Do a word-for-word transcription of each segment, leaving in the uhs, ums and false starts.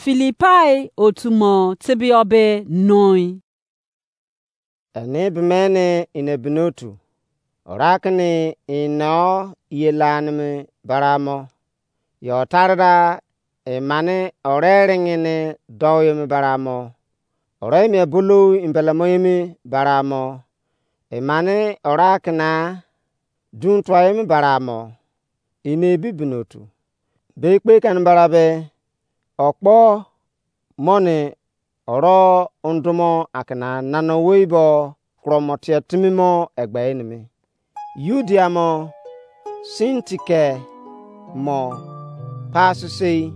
Filipai otu mo tebeyọ be noi. Eni bimeni ine binotu. Ora kini ino ye lanimi baramo. Yo tarda emani ore ringini dou yemi baramo. Ore emi ebolo imbelemo yemi baramo. Emani ora kina dun tua yemi baramo. Ine ebi binotu. Be kpe kani bara be okpo moni oro undumo akina nana owei bo kuromo tie timi mo egbe enimi. Yudia mo, Sintike mo, pasisei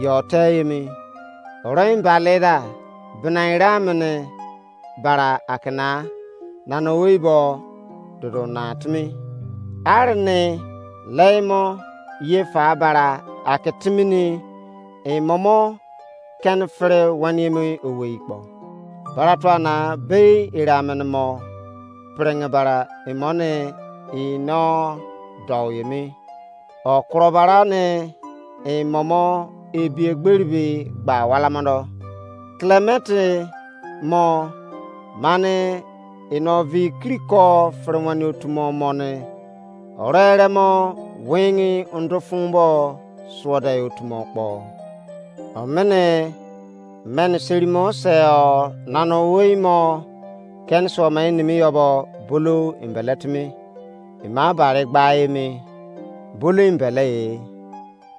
yo te yemi. Oro imbalida bina ira mini bara akina nana owei bo dodo na timi. Arini lei mo ye fa bara ake timini imomo keni fere weniemi owei kpo. Bara tua na bei ira mini mo piringi bara imoni ino dou yemi. Okuro bara ni imomo ebi egberi be gba wala modo. Klementi mo mani ino vi kiriko fere wani otu mo moni. Ore ere mo wingi undu fun bo suode otu mo kpo. Omini meni seri mo se o nana owei mo keni suo mo enimi yo bo bolo embele timi. Ima bari gba emi bolo embele e.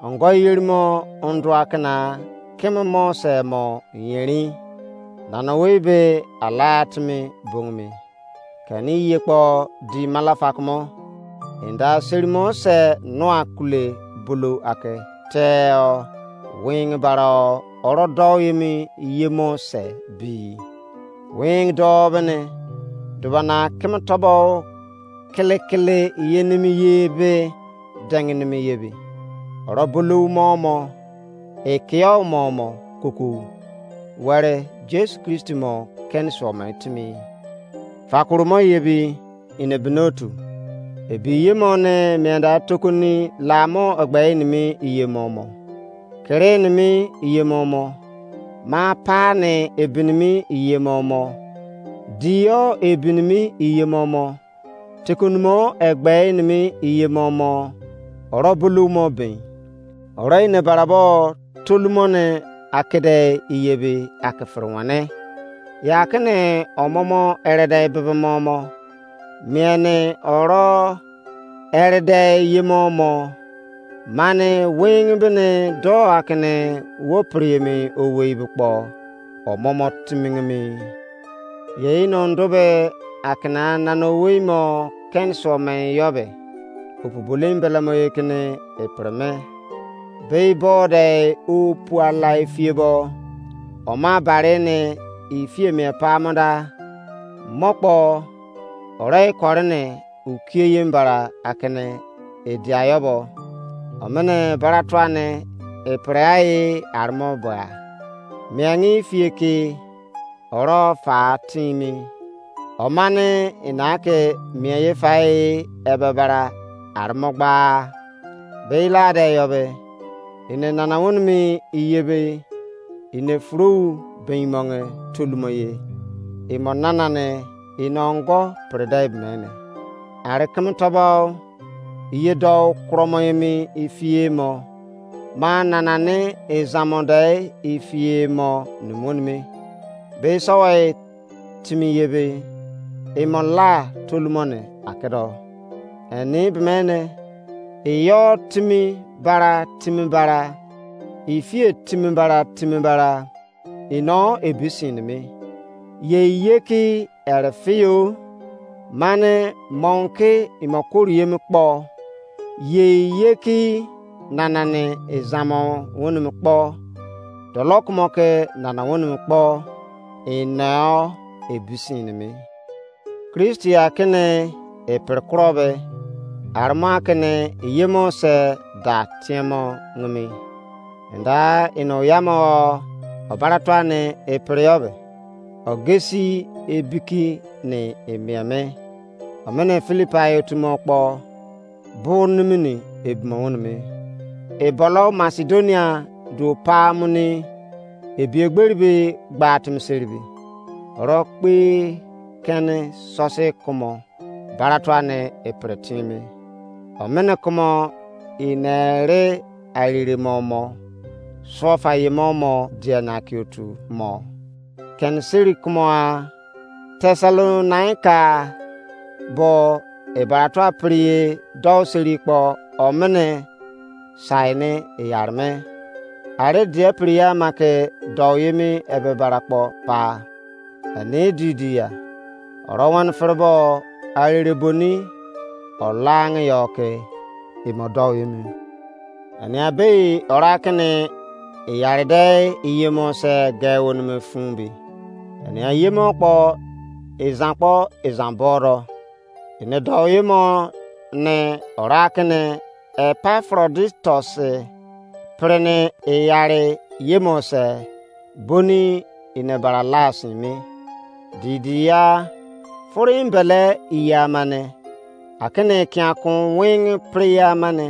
Ongo yeri mo undu akina kimi mo se mo yerin. Nana owei be ala timi bongimi. Keni ye kpo di malafa kumo. Enda seri mo se nua kule bulu ake teo. Wingi baro oro dou yemi ye mo se bi. Wingi dou bene. Dubana kimi tobo kele kele ye nimi ye be dengi nimi ye bi. Oro bulu mo mo. Ekiyo mo mo kuku. Were Jesu Kristi mo keni suo mo timi. Fakuru mo ye bi ine binotu. Ebi ye mo ne mienda tokoni la mo egbe enimi iye mo mo. Kere enimi iye mo mo. Ma pa ne ebinimi iye mo mo. Diyo ebinimi iye mo mo. Tikonumo egbe enimi iye mo mo. Oro bulu mo bin. Oro ine barabo tolumo ne akede iye be akefere wane. Ya kene omomo erede bebe mo mo. Miene oro erede ye mo mo. Mani wingi bene do akene wo priemi owei be kpo. Omomo timingimi. Ye ino ndu be akina nana owei mo keni suo me yo be. Opu bolo embele mo ye kene epre me. Be bo de opu ala efie bo. Oma bare ne efie mi epa mo da. Mo kpo ore kore ne ukie ye mbara akene edia yo bo. Omene bara tua ne epre ai armo bua. Miangi efie ke oro fa timi. Omani ina ke mien ye fa e ebe bara armo gba. Be ila de yo be. Ine nana wonimi iye be. Ine furu be imonge tolumo ye. Imo nana ne ine ongo prede mene. Are keme tobo iye dou kuromo emi ifie mo. Ma nana ne ezamo de ifie mo numonimi. Be sowe timi ye be imo la tolumo ne akedo. Eni bemene iyo timi bara timi bara ifie timi bara timi bara ino ebisin mi. Ye iye ki ere fiyo mane monki imo kori yemi kpo. Ye iye ki nana ne ezamo wonimi kpo. Dolo kumo ke nana wonimi kpo. Ino ebisin mi. Kristi akene epiri kuro be. Arma akene iyemo se da tiemo ngimi. Enda ino yamo obara tuani epiri yo be. Ogesi ebiki ni emieme. Omene Filipai otumo kpo. Bur nimini ebimo wunimi. Ebolo Masedonia duo pa muni Ebiegberi be gba timi seribe. Oro kpe kene sosi kumo baratua ne epre timi. Omene kumo inere arire mo mo, suofa ye mo mo diena ki otu mo. Ken seri kumo a Tesalonaika bo ebaratua priye dou seri kpo omene sai ne eyarme. Are dia priye ama ke dou yemi ebe bara kpo pa. Eni didi ya. Oro wan ferebo arere boni olang yo ke imo dou yemi. Eni abei ora kene iyaride iyemo se ge wonime fun bi. Eni ayemo kpo izan kpo izan boro. Ene dou yemo ne ora kene Epafroditus prene iyare yemo se boni ine bara la sin me. Didi ya furu embele iye amane. Akene kiankun wing priye amane.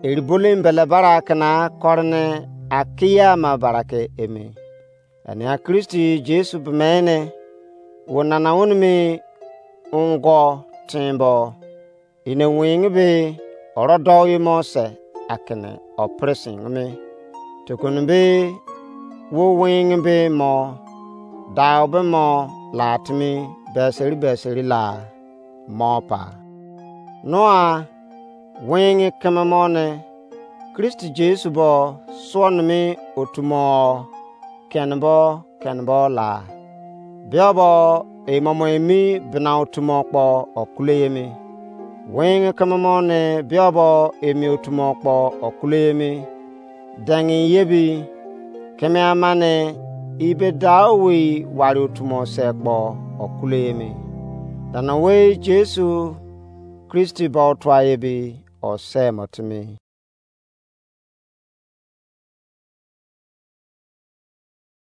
Eribolo embele bara kena korne akiye ama bara ke eme. Ania Kristi Jesu bemene wo nana wonimi ungo timbo. Ine wing be oro dou yemo se akene opresin me. Tukun be wo wing be mo dau be mo la timi beseri beseri la mo pa. Noa wing keme mo ne Kristi Jesu bo suo nimi otu mo kenbo kenbo la. Bia bo emomo emi bina otu mo kpo okule yemi. Wing keme mo ne bia bo emi otu mo kpo okule yemi. Dengi yebi keme amane ibe dau wei wari otu mo se kpo okule yemi. Dana wei Jesu Kristi bo otua ebi ose mo timi.